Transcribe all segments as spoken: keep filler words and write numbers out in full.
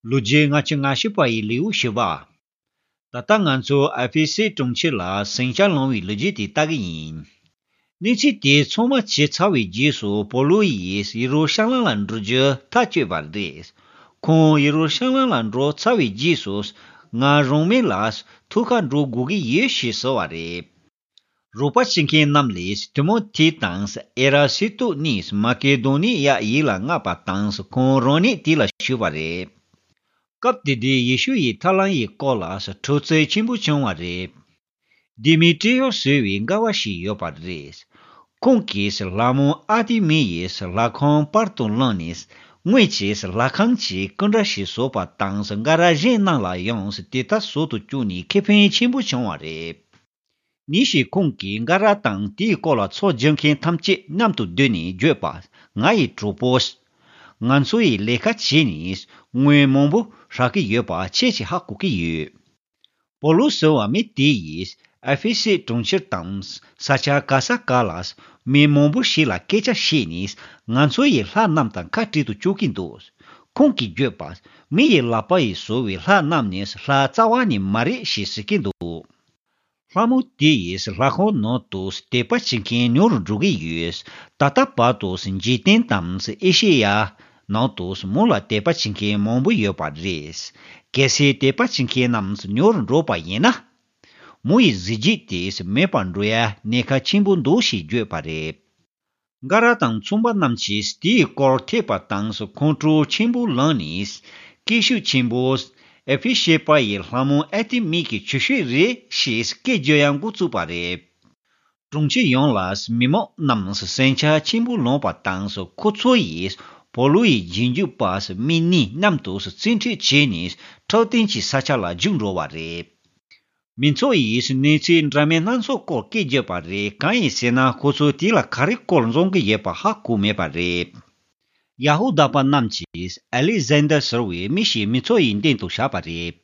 ལོ་རྒྱུས་ལྔ་བཅུ་ང་བཞི་པ་ཡི་ལེའུ་བཞི་པ། ད་ལྟ་ང་ཚོ་ཨ་ཕི་སི་གྲོང་ཁྱེར་ལ་ཟིང་ཆ་སློང་བའི་ལོ་རྒྱུས་དེ་ལྟ་གི་ཡིན། གནས་ཚུལ་དེ་ཚང་མ་བྱས་ཚར་བའི་རྗེས་སུ་པོ་ལུ་ཡིས་ཡེ་རུ་ཤ་ལམ་ལ་འགྲོ་རྒྱུ་ཐག་གཅོད་པ་རེད། ཁོང་ཡེ་རུ་ཤ་ལམ་ལ་འགྲོ་ཚར་བའི་རྗེས་སུ། ང་རང་མི་ལ་ཐུག་ག་འགྲོ་དགོས་ཀྱི་ཡོད་ཞེས་ཟེར་བ་རེད། རོགས་པ་བྱེད་མཁན་རྣམས་ལས་ཏི་མོ་ཐི་དང་ཨེ་ར་སི་ཏུ་གཉིས་མ་ཀེ་དོ་ནི་ཡ་ཡིག་ལ་མངགས་པ་དང་ཁོང་རང་ཉིད་དེ་ལ་ཞུགས་པ་རེད། སྐབས་དེ་དུས་ཡེ་ཤུ་ཡི་ཐར་ལམ་ཡི་སྐོར་ལ་འཁྲུག་རྩོད་ཆེན་པོ་བྱུང་བ་རེད། དེ་མི་ཏྲི་ཡོ་ཟེར་བའི་མགར་བ་ཞིག་ཡོད་པ་རེད། ཁོང་གིས་ལྷ་མོ་ཨར་ཏེ་མི་ཡི་ལྷ་ཁང་པར་དུ་བླངས་ནས་དངོས་ཀྱི་ལྷ་ཁང་གི་སྐུ་འདྲ་ཞིག་བཟོས་པ་དང་མགར་ར་གཞན་རྣམས་ལ་ཡང་དེ་ལྟར་བཟོ་དུ་བཅུག་ནས་ཁེ་ཕན་ཆེན་པོ་བྱུང་བ་རེད། ཉིན་ཞིག་ཁོང་གིས་མགར་ར་དང་དེའི་སྐོར་ལ་ཚོགས་སྒྱུར་མཁན་ཐམས་ཅད་མཉམ་དུ་བསྡུས་ནས་བརྗོད་པ། ང་ཡི་གྲོགས་པོ། ང་ཚོ་ཡི་ལས་ཀ་བྱས་ནས་དངུལ་མང་པོ་རག་གི་ཡོད་པ་ཁྱེད་ཀྱིས་ཧ་གོ་གི་ཡོད། པོ་ལུ་ཟེར་བ་མི་དེ་ཡིས་ཨེ་ཕེ་སི་གྲོང་ཁྱེར་དང་ས་ཆ་ག་ས་ག་ལ་མི་མང་པོ་ཞིག་ལ་སྐད་ཆ་བཤད་ནས་ང་ཚོ་ཡི་ལྷ་རྣམས་དང་ཁ་བྲལ་དུ་བཅུག་གིན་འདུག་ཁོང་གིས་བརྗོད་པ། མི་ཡི་ལག་པ་ཡིས་བཟོ་བའི་ལྷ་རྣམས་ནི་ལྷ་རྩ་བ་ནས་མ་རེད་ཞེས་ཟེར་གྱིན་འདུག་ལྷ་མོ་དེ་ཡིས་ལྷ་ཁང་ནང་དུ་དད་པ་བྱེད་མཁན་ཉུང་རུ་འགྲོ་གི་ཡོད། ད་ལྟ་བར་དུ་འཇིག་རྟེན་དང་ཨེ་ཤེ་ཡ་ནང་དུ་མོ་ལ་དད་པ་བྱེད་མཁན་མང་པོ་ཡོད་པ་རེད། གལ་སྲིད་དད་པ་བྱེད་མཁན་རྣམས་ཉུང་རུ་འགྲོ་བ་ཡིན་ན། མོ་ཡི་གཟི་བརྗིད་དེ་མེད་པར་འགྲོ་ཡ་གནད་འགག་ཆེན་པོ་འདུག་ཞེས་བརྗོད་པ་རེད། མགར་ར་དང་ཚོང་པ་རྣམས་ཀྱིས་དེའི་སྐོར་ཐོས་པ་དང་ཁོང་ཁྲོ་ཆེན་པོ་ལངས་ནས་སྐད་ཤུགས་ཆེན་པོས། ཨེ་ཕེ་ཤི་པ་ཡི་ལྷ་མོ་ཨར་ཏེ་མི་གི་ཆུ་ཤེལ་རེད་ཞེས་སྐད་རྒྱག་ཡང་འགོ་བཙུགས་པ་རེད། གྲོང་ཁྱེར་ཡོངས་ལ་མི་མང་རྣམས་ཟིང་ཆ་ཆེན་པོ་ལངས་པ་དང་ཁོ་ཚོ་ཡིས་པོ་ལུ་ཡི་རྗེས་འཇུག་པ་མི་གཉིས་མཉམ་དུ་བཙན་ཁྲིད་བྱས་ནས་འཕྲོད་བསྟེན་གྱི་ས་ཆ་ལ་རྒྱུགས་འགྲོ་བ་རེད། མི་ཚོགས་ཡིས་གནས་ཚུལ་འདྲ་མིན་སྣ་ཚོགས་སྐོར་སྐད་བརྒྱབ་པ་རེད། གང་ཡིན་ཟེར་ན་ཁོ་ཚོས་དེ་ལ་ག་རེ་སྐོར་འཛོམས་ཀྱི་ཡོད་པ་ཧ་གོ་མེད་པ་རེད། ཡ་ཧུ་དཱ་པ་རྣམས་ཀྱིས་ཨ་ལི་ཟན་དར་ཟེར་བའི་མི་ཞིག་མི་ཚོགས་ཡི་མདུན་དུ་བཞག་པ་རེད།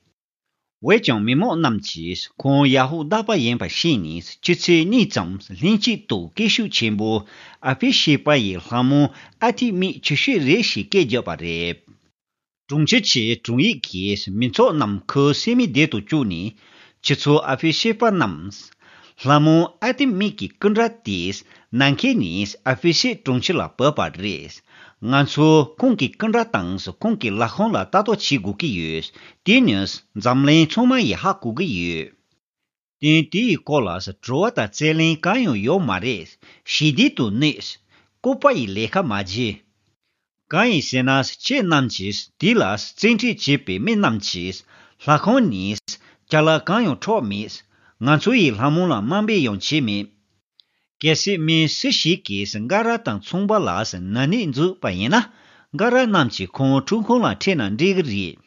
འོན་ཀྱང་མི་མང་རྣམས་ཀྱིས་ཁོང་ཡ་ཧུ་དཱ་པ་ཡིན་པ་ཤེས་ནས་ཆུ་ཚོད་གཉིས་ཙམ་ལྷན་གཅིག་ཏུ་སྐད་ཤུགས་ཆེན་པོས་ཨེ་ཕེ་ཤི་པ་ཡི་ལྷ་མོ་ཨར་ཏེ་མི་ཆུ་ཤེལ་རེད་ཞེས་སྐད་བརྒྱབ་པ་རེད། གྲོང་ཁྱེར་གྱི་དྲུང་ཡིག་གིས་མི་ཚོགས་རྣམས་ཁོའི་སེམས་མི་བདེ་དུ་བཅུག་ནས། ཁྱེད་ཚོ་ཨེ་ཕེ་ཤི་པ་རྣམས། ལྷ་མོ་ཨར་ཏེ་མི་གི་སྐུ་འདྲ་དེས་ནམ་མཁའ་ནས་ཨེ་ཕེ་ཤི་གྲོང་ཁྱེར་ལ་བབས་པ་རེད། ང་ཚོ་ཁོང་གི་སྐུ་འདྲ་དང་ཁོང་གི་ལྷ་ཁང་ལ་ལྟ་རྟོག་བྱེད་དགོས་ཀྱི་ཡོད། དེ་ནི་འཛམ་གླིང་ཚང་མ་ཡིས་ཧ་གོ་གི་ཡོད། དེ་དེ་ཡི་སྐོར་ལ་དྲི་བ་དང་རྩོད་གླེང་གང་ཡང་ཡོད་མ་རེད། ཞི་བདེ་དུ་གནས། ལྐུགས་པ་ཡི་ལས་ཀ་མ་བྱེད། གང་ཡིན་ཟེར་ན་ཁྱེད་རྣམས་ཀྱིས་དེ་ལ་བཙན་ཁྲིད་བྱེད་པའི་མི་རྣམས་ཀྱིས་ལྷ་ཁང་ནས་ཅ་ལག་གང་ཡང་འཕྲོག་མེད། ང་ཚོ་ཡི་ལྷ་མོ་ལ་དམའ་འབེབས་ཡང་བྱས་མེད། གལ་སྲིད་མི་སུ་ཞིག་གིས་མགར་ར་དང་ཚོང་པ་ལ་ན་ནིང་འཛུགས་པ་ཡིན་ན། མགར་ར་རྣམས་ཀྱིས་ཁོང་ཁྲིམས་ཁང་ལ་ཁྲིད་ན་འགྲིག་གི་རེད།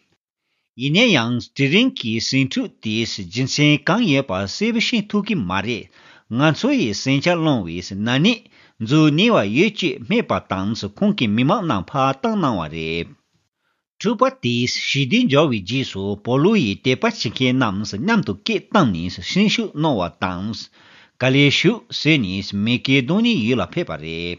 ཡིན་ན་ཡང་དེ་རིང་གི་ཟིང་འཁྲུག་དེའི་རྒྱུ་མཚན་གང་ཡོད་པ་གསལ་པོ་ཤེས་ཐུབ་ཀྱི་མ་རེད། ང་ཚོ་ཡི་ཟིང་ཆ་སློང་བའི་ན་ནིང་འཛུགས་ནུས་པ་ཡོད་ཅེས་སྨྲས་པ་དང་ཁོང་གི་མི་མང་རྣམས་ཕར་བཏང་གནང་བ་རེད། འཁྲུག་པ་དེའི་ཞི་བདེ་འབྱོར་བའི་རྗེས་སུ་པོ་ལུ་ཡིས་དད་པ་བྱེད་མཁན་རྣམས་མཉམ་དུ་སྐད་བཏང་ནས་སེམས་ཤུགས་གནང་བ་དང་། ག་ལེར་བཞུགས་ཟེར་ནས་མི་ཀེ་དོ་ནི་ཡུལ་ལ་ཕེབས་པ་རེད།